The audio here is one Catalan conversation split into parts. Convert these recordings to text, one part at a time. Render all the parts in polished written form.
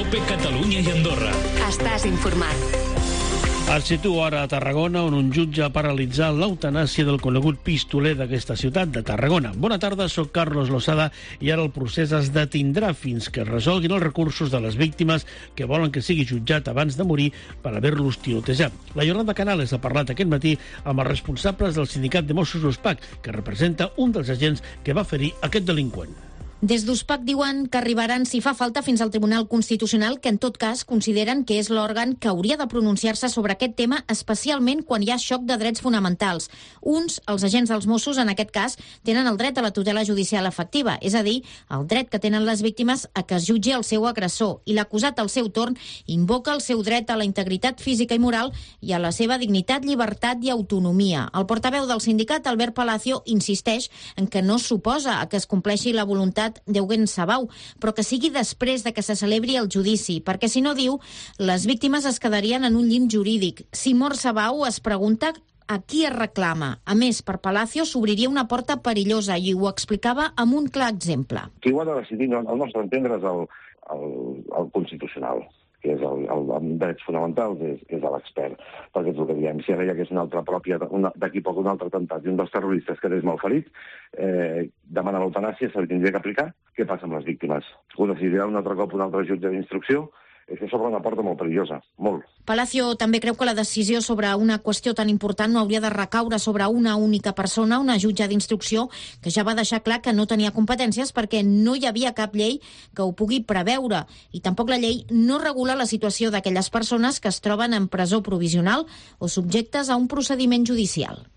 COPE Catalunya i Andorra. Estàs informat. Et situo ara a Tarragona, on un jutge ha paralitzat l'eutanàsia del conegut pistoler d'aquesta ciutat, de Tarragona. Bona tarda, soc Carlos Losada i ara el procés es detindrà fins que es resolguin els recursos de les víctimes que volen que sigui jutjat abans de morir per haver-los tirotejat. La Yolanda Canales ha parlat aquest matí amb els responsables del sindicat de Mossos d'USPAC, que representa un dels agents que va ferir aquest delinqüent. Des d'USPAC diuen que arribaran, si fa falta, fins al Tribunal Constitucional, que en tot cas consideren que és l'òrgan que hauria de pronunciar-se sobre aquest tema, especialment quan hi ha xoc de drets fonamentals. Uns, els agents dels Mossos, en aquest cas, tenen el dret a la tutela judicial efectiva, és a dir, el dret que tenen les víctimes a que es jutgi el seu agressor, i l'acusat, al seu torn, invoca el seu dret a la integritat física i moral i a la seva dignitat, llibertat i autonomia. El portaveu del sindicat, Albert Palacio, insisteix en que no s'oposa a que es compleixi la voluntat d'Eugen Sabau, però que sigui després de que se celebri el judici, perquè si no, diu, les víctimes es quedarien en un llim jurídic. Si mor Sabau, es pregunta a qui es reclama. A més, per Palacio s'obriria una porta perillosa i ho explicava amb un clar exemple. Qui ho ha de decidir, al nostre entendre, és el Constitucional, que és el drets fonamentals, és l'expert, perquè és el que diem. Si ara hi hagués una altra pròpia, d'aquí poc un altre atemptat i un dels terroristes quedés malferit, demana l'eutanàsia, se li tindria que aplicar. Què passa amb les víctimes? Ho decidirà un altre cop un altre jutge d'instrucció? És que s'obre una porta molt perillosa, molt. Palacio també creu que la decisió sobre una qüestió tan important no hauria de recaure sobre una única persona, una jutge d'instrucció, que ja va deixar clar que no tenia competències perquè no hi havia cap llei que ho pugui preveure. I tampoc la llei no regula la situació d'aquelles persones que es troben en presó provisional o subjectes a un procediment judicial.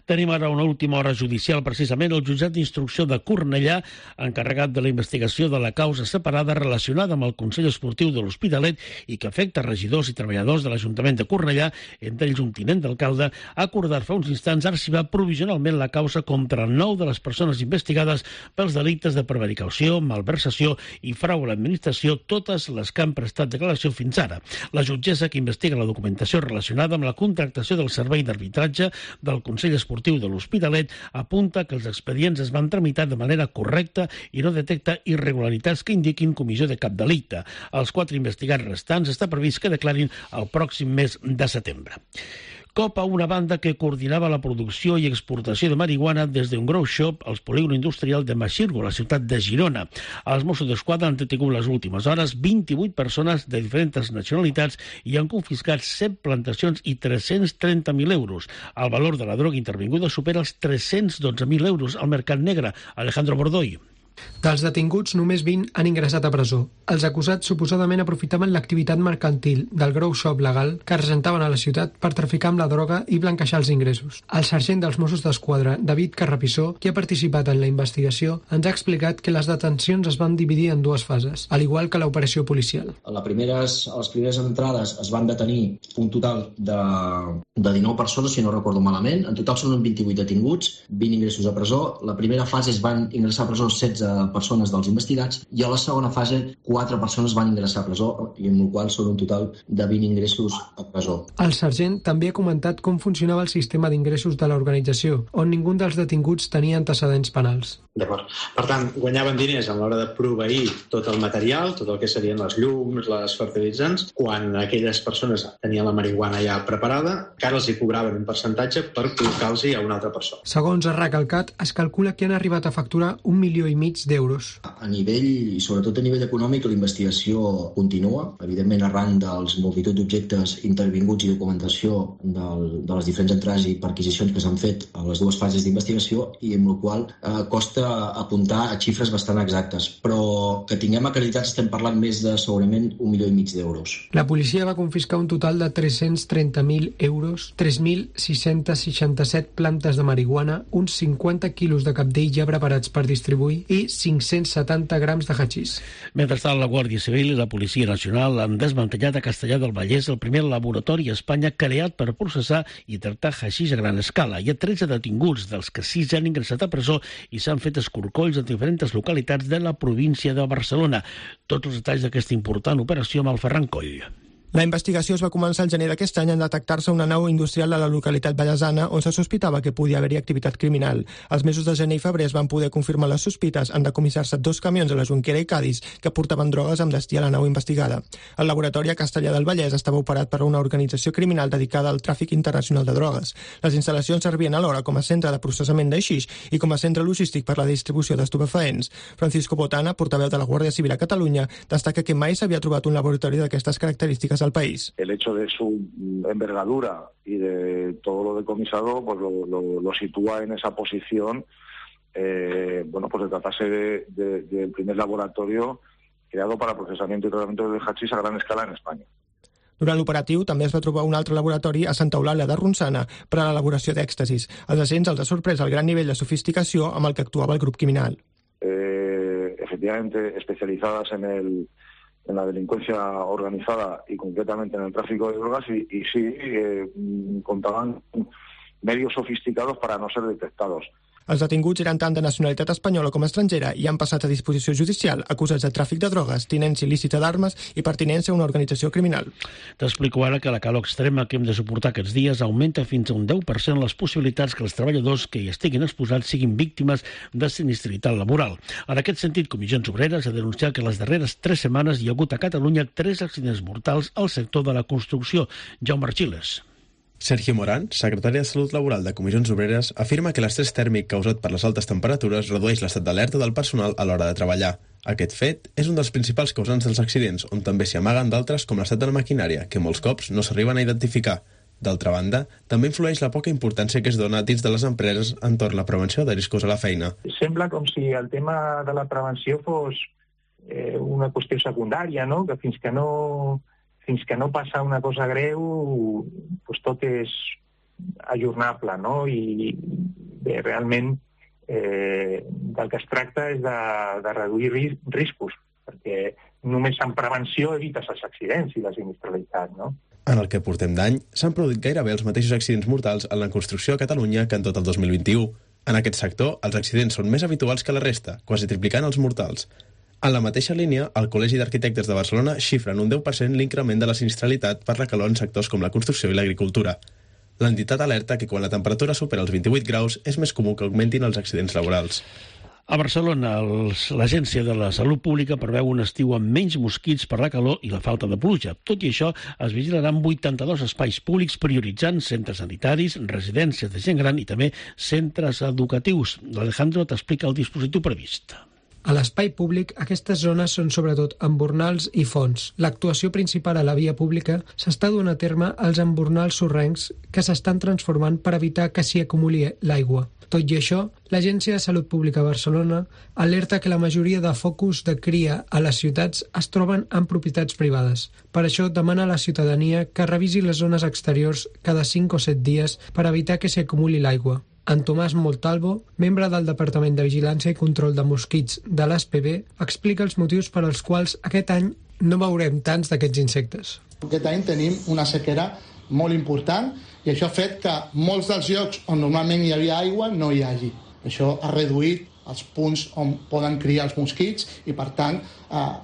Tenim ara una última hora judicial, precisament el jutjat d'instrucció de Cornellà, encarregat de la investigació de la causa separada relacionada amb el Consell Esportiu de l'Hospitalet i que afecta regidors i treballadors de l'Ajuntament de Cornellà, entre ells un tinent d'alcalde, ha acordat fa uns instants arxivar provisionalment la causa contra 9 de les persones investigades pels delictes de prevaricació, malversació i frau a l'administració, totes les que han prestat declaració fins ara. La jutgessa que investiga la documentació relacionada amb la contractació del servei d'arbitratge del Consell Esportiu de l'Hospitalet apunta que els expedients es van tramitar de manera correcta i no detecta irregularitats que indiquin comissió de cap delicte. Els 4 investigats restants està previst que declarin el pròxim mes de setembre. Cop a una banda que coordinava la producció i exportació de marihuana des d'un grow shop al polígon industrial de Maxirgo, la ciutat de Girona. Els Mossos d'Esquadra han detingut les últimes hores 28 persones de diferents nacionalitats i han confiscat 7 plantacions i 330.000 euros. El valor de la droga intervinguda supera els 312.000 euros al mercat negre. Alejandro Bordoy. Dels detinguts, només 20 han ingressat a presó. Els acusats suposadament aprofitaven l'activitat mercantil del grow shop legal que presentaven a la ciutat per traficar amb la droga i blanquejar els ingressos. El sergent dels Mossos d'Esquadra, David Carrapissó, qui ha participat en la investigació, ens ha explicat que les detencions es van dividir en 2 fases, al igual que l'operació policial. A les primeres entrades es van detenir un total de 19 persones, si no recordo malament. En total són 28 detinguts, 20 ingressos a presó. La primera fase es van ingressar a presó 16 persones dels investigats i a la segona fase 4 persones van ingressar a presó i amb el qual són un total de 20 ingressos a presó. El sergent també ha comentat com funcionava el sistema d'ingressos de l'organització, on ningú dels detinguts tenia antecedents penals. D'acord. Per tant, guanyaven diners a l'hora de proveir tot el material, tot el que serien les llums, les fertilitzants, quan aquelles persones tenien la marihuana ja preparada, encara els hi cobraven un percentatge per col·locar-los a una altra persona. Segons ha recalcat, es calcula que han arribat a facturar 1,5 milions d'euros. A nivell, i sobretot a nivell econòmic, la investigació continua, evidentment arran dels multitud d'objectes intervinguts i documentació de les diferents entrades i perquisicions que s'han fet a les 2 fases d'investigació i amb la qual costa apuntar a xifres bastant exactes, però que tinguem acreditats estem parlant més de segurament 1,5 milions d'euros. La policia va confiscar un total de 330.000 euros, 3.667 plantes de marihuana, uns 50 quilos de cabdell ja preparats per distribuir i 570 grams de hachís. Mentrestant, la Guàrdia Civil i la Policia Nacional han desmantellat a Castellar del Vallès el primer laboratori a Espanya creat per processar i tractar hachís a gran escala. Hi ha 13 detinguts, dels que 6 han ingressat a presó i s'han fet escorcolls en diferents localitats de la província de Barcelona. Tots els detalls d'aquesta important operació amb el Ferran Coll. La investigació es va començar el gener d'aquest any en detectar-se una nau industrial a la localitat vallesana on se sospitava que podia haver-hi activitat criminal. Els mesos de gener i febrer es van poder confirmar les sospites en decomissar-se 2 camions a la Jonquera i Cadis que portaven drogues amb destí a la nau investigada. El laboratori a Castellar del Vallès estava operat per una organització criminal dedicada al tràfic internacional de drogues. Les instal·lacions servien alhora com a centre de processament de xix i com a centre logístic per la distribució d'estupefaents. Francisco Botana, portaveu de la Guàrdia Civil a Catalunya, destaca que mai s'havia trobat un laboratori d'aquestes característiques al país. El hecho de su envergadura y de todo lo decomisado pues lo sitúa en esa posición. Pues se tratase del primer laboratorio creado para procesamiento y tratamiento de hachís a gran escala en España. Durant l'operatiu també es va trobar un altre laboratori a Santa Eulàlia de Ronçana per a l'elaboració d'èxtasis. Als agents els ha sorprès el gran nivell de sofisticació amb el que actuava el grup criminal. Efectivamente especializadas en la delincuencia organizada y concretamente en el tráfico de drogas y sí, contaban medios sofisticados para no ser detectados. Els detinguts eren tant de nacionalitat espanyola com estrangera i han passat a disposició judicial acusats de tràfic de drogues, tinença il·lícita d'armes i pertinença a una organització criminal. T'explico ara que la calor extrema que hem de suportar aquests dies augmenta fins a un 10% les possibilitats que els treballadors que hi estiguin exposats siguin víctimes de sinistralitat laboral. En aquest sentit, Comissions Obreres ha denunciat que les darreres 3 setmanes hi ha hagut a Catalunya 3 accidents mortals al sector de la construcció. Jaume Archiles. Sergio Morán, secretari de Salut Laboral de Comissions Obreres, afirma que l'estrès tèrmic causat per les altes temperatures redueix l'estat d'alerta del personal a l'hora de treballar. Aquest fet és un dels principals causants dels accidents, on també s'hi amaguen d'altres com l'estat de la maquinària, que molts cops no s'arriben a identificar. D'altra banda, també influeix la poca importància que es dona dins de les empreses entorn la prevenció de riscos a la feina. Sembla com si el tema de la prevenció fos una qüestió secundària, no? Que fins que no passa una cosa greu, doncs tot és ajornable, no? I bé, realment del que es tracta és de reduir riscos, perquè només en prevenció evites els accidents i la sinistralitat, no? En el que portem d'any, s'han produït gairebé els mateixos accidents mortals en la construcció a Catalunya que en tot el 2021. En aquest sector, els accidents són més habituals que la resta, quasi triplicant els mortals. En la mateixa línia, el Col·legi d'Arquitectes de Barcelona xifra en un 10% l'increment de la sinistralitat per la calor en sectors com la construcció i l'agricultura. L'entitat alerta que quan la temperatura supera els 28 graus és més comú que augmentin els accidents laborals. A Barcelona, l'Agència de la Salut Pública preveu un estiu amb menys mosquits per la calor i la falta de pluja. Tot i això, es vigilaran 82 espais públics prioritzant centres sanitaris, residències de gent gran i també centres educatius. L'Alejandro t'explica el dispositiu previst. A l'espai públic, aquestes zones són sobretot embornals i fonts. L'actuació principal a la via pública s'està duent a terme als embornals sorrencs que s'estan transformant per evitar que s'hi acumuli l'aigua. Tot i això, l'Agència de Salut Pública de Barcelona alerta que la majoria de focus de cria a les ciutats es troben en propietats privades. Per això demana a la ciutadania que revisi les zones exteriors cada 5 o 7 dies per evitar que s'hi acumuli l'aigua. En Tomàs Montalvo, membre del Departament de Vigilància i Control de Mosquits de l'ASPB, explica els motius per als quals aquest any no veurem tants d'aquests insectes. Aquest any tenim una sequera molt important i això ha fet que molts dels llocs on normalment hi havia aigua no hi hagi. Això ha reduït els punts on poden criar els mosquits i, per tant,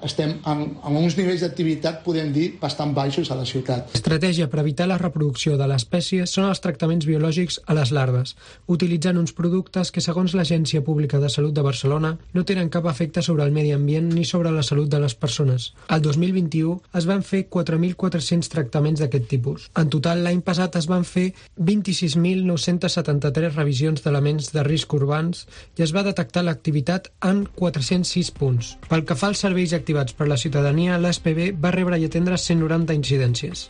estem en uns nivells d'activitat, podem dir, bastant baixos a la ciutat. L'estratègia per evitar la reproducció de l'espècie són els tractaments biològics a les larves, utilitzant uns productes que, segons l'Agència Pública de Salut de Barcelona, no tenen cap efecte sobre el medi ambient ni sobre la salut de les persones. El 2021 es van fer 4.400 tractaments d'aquest tipus. En total, l'any passat es van fer 26.973 revisions d'elements de risc urbans i es va detectar l'activitat en 406 punts. Pel que fa als serveis activats per la ciutadania, l'ASPB va rebre i atendre 190 incidències.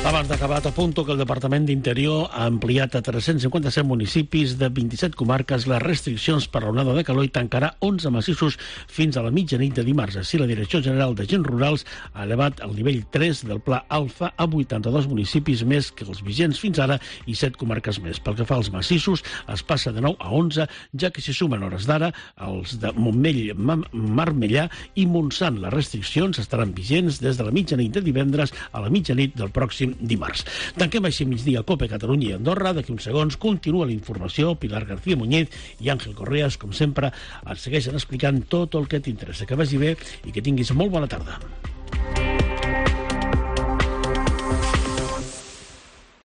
Abans d'acabar, t'apunto que el Departament d'Interior ha ampliat a 357 municipis de 27 comarques les restriccions per l'onada de calor i tancarà 11 massissos fins a la mitjanit de dimarts. Així, la Direcció General d'Agents Rurals ha elevat el nivell 3 del Pla Alfa a 82 municipis més que els vigents fins ara i 7 comarques més. Pel que fa als massissos, es passa de 9 a 11, ja que s'hi sumen hores d'ara els de Montmell, Marmellà i Montsant. Les restriccions estaran vigents des de la mitjanit de divendres a la mitjanit del pròxim dimarts. Tanquem així migdia Cope Catalunya i Andorra. D'aquí uns segons continua la informació. Pilar García Muñiz i Àngel Correas, com sempre, et segueixen explicant tot el que t'interessa. Que vagi bé i que tinguis molt bona tarda.